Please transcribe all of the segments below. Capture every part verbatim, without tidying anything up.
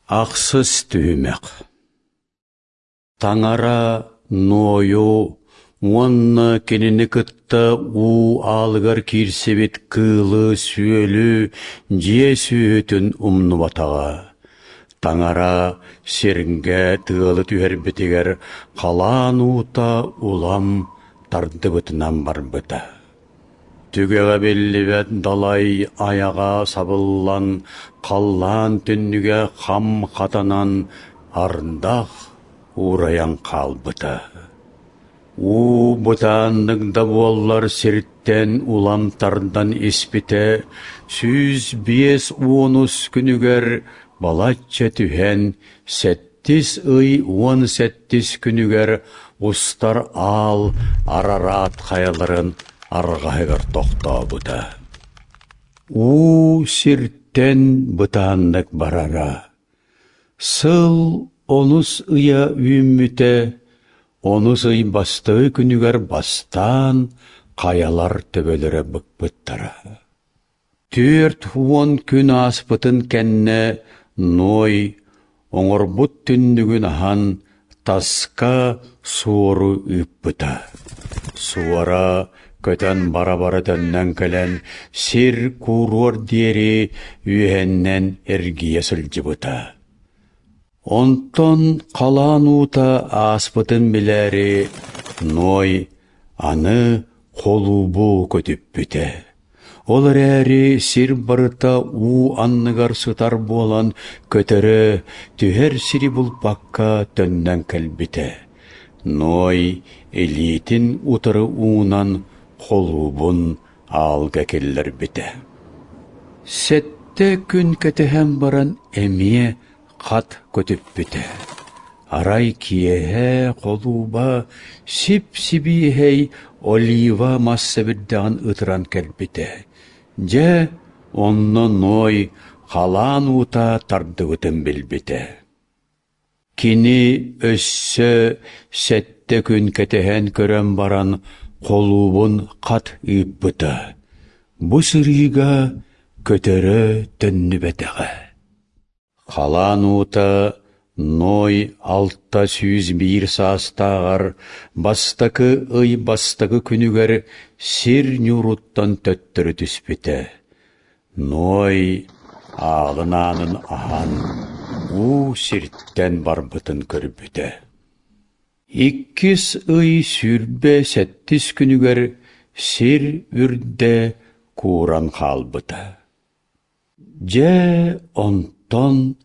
Ахсыс түһүмэх Таҥара Нуойу уонна кинини кытта уу аалыгар киирсибит кыылы-сүөлү дьиэ сүөһүтүн умнубатаҕа. Таҥара сиргэ тыалы түһэрбитигэр халаан уута улам тардыбытынан барбыта. Түгэҕэ биллибэт далай айаҕа сабыллан, халлаан түннүгэ хам хатанан, ардах уурайан хаалбыта. Уу бытааннык да буоллар сиртэн улам тардан испитэ, сүүс биэс уонус күнүгэр балачча түһэн, сэттис ый уон сэттис күнүгэр устар аал Арараат хайаларын арҕаһыгар тохтообута. Уу сиртэн бытааннык барара. Сыл онус ыйа үүммүтэ, онус ый бастакы күнүгэр бастаан хайалар төбөлөрө быкпыттара. Түөрт уон күн ааспытын кэннэ Ной оҥорбут түннүгүн аһан таска суору ыыппыта. Суора көтөн бара-бара төннөн кэлэн сир кууруор диэри үөһэннэн эргийэ сылдьыбыта. Онтон халаан уута ааспытын билээри Ной аны холуубу көтүппүтэ. Ол эрээри сир барыта уу анныгар сытар буолан көтөрө, түһэр сири булбакка төннөн кэлбитэ. Ной илиитин утары уунан холуубун аалга киллэрбитэ. Сэттэ күн кэтэһэн баран эмиэ хат көтүппүтэ. Арай киэһэ холууба сип-сибиэһэй олива мас сэбирдэҕин ытыран кэлбитэ. Дьэ, онно Ной халаан уута тардыбытын билбитэ. Кини өссө сэттэ күн кэтэһэн көрөн баран холуубун хат ыыппыта. Бу сырыыга көтөрө төннүбэтэҕэ. Халаан уута Ной алта сүүс биир саастааҕар бастакы ый бастакы күнүгэр сир ньууруттан төттөрү түспүтэ. Ной аалын аанын аһан, уу сиртэн барбытын көрбүтэ. Иккис ый сүүрбэ сэттис күнүгэр сир үрдэ кууран хаалбыта. Дьэ, онтон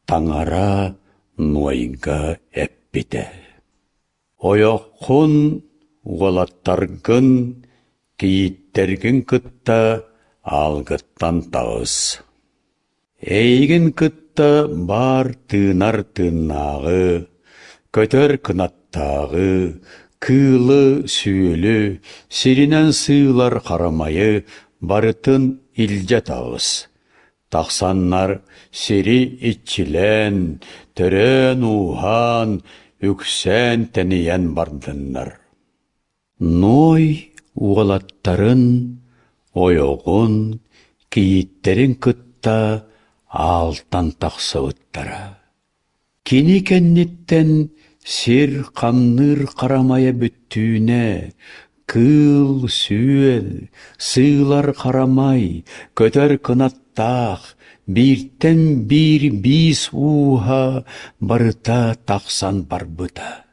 Таҥара Нуойга эппитэ: «Ойоххун, уолаттаргын, кийииттэргин кытта аалгыттан таҕыс. Эйигин кытта баар тыынар тыыннааҕы, көтөр кынаттааҕы, кыылы-сүөлү, сиринэн сыылар харамайы барытын илдьэ таҕыс. Тахсаннар сири иччилээн, төрөөн-ууһаан, үксээн-тэнийэн бардыннар». Ной уолаттарын, ойоҕун, кийииттэрин кытта аалтан тахсыбыттара. Кини кэнниттэн сир хамныыр харамайа бүттүүнэ, кыыл-сүөл, сыылар харамай, көтөр кынаттаах, бииртэн биир биис ууһа барыта тахсан барбыта.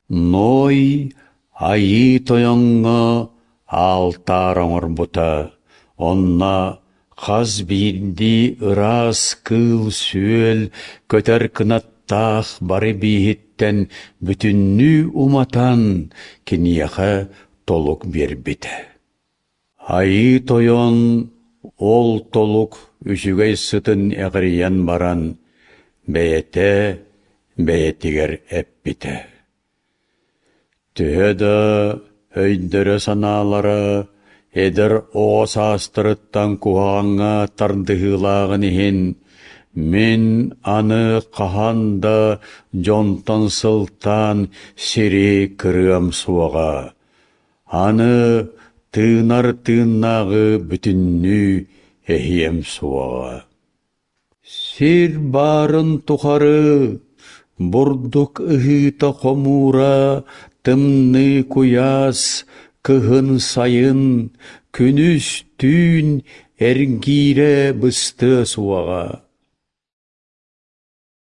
Ной Айыы Тойоҥҥо аалтаар оҥорбута, онно хас биирдии ыраас кыыл-сүөл, көтөр кынаттаах бары бииһиттэн бүтүннүү уматан, киниэхэ толук биэрбитэ. Айыы Тойон ол толук үчүгэй сытын эҕирийэн баран, бэйэтэ бэйэтигэр эппитэ: Төһө да өйдөрө-санаалара эдэр оҕо саастарыттан куһаҕаҥҥа тардыһыылааҕын иһин, мин аны хаһан да дьонтон сылтаан сири кырыам суоҕа, аны тыынар тыыннааҕы бүтүннүү эһиэм суоҕа. Сир баарын тухары бурдук ыһыыта-хомуура, тымныы-куйаас, кыһын-сайын, күнүс-түүн эргиирэ быстыа суоҕа.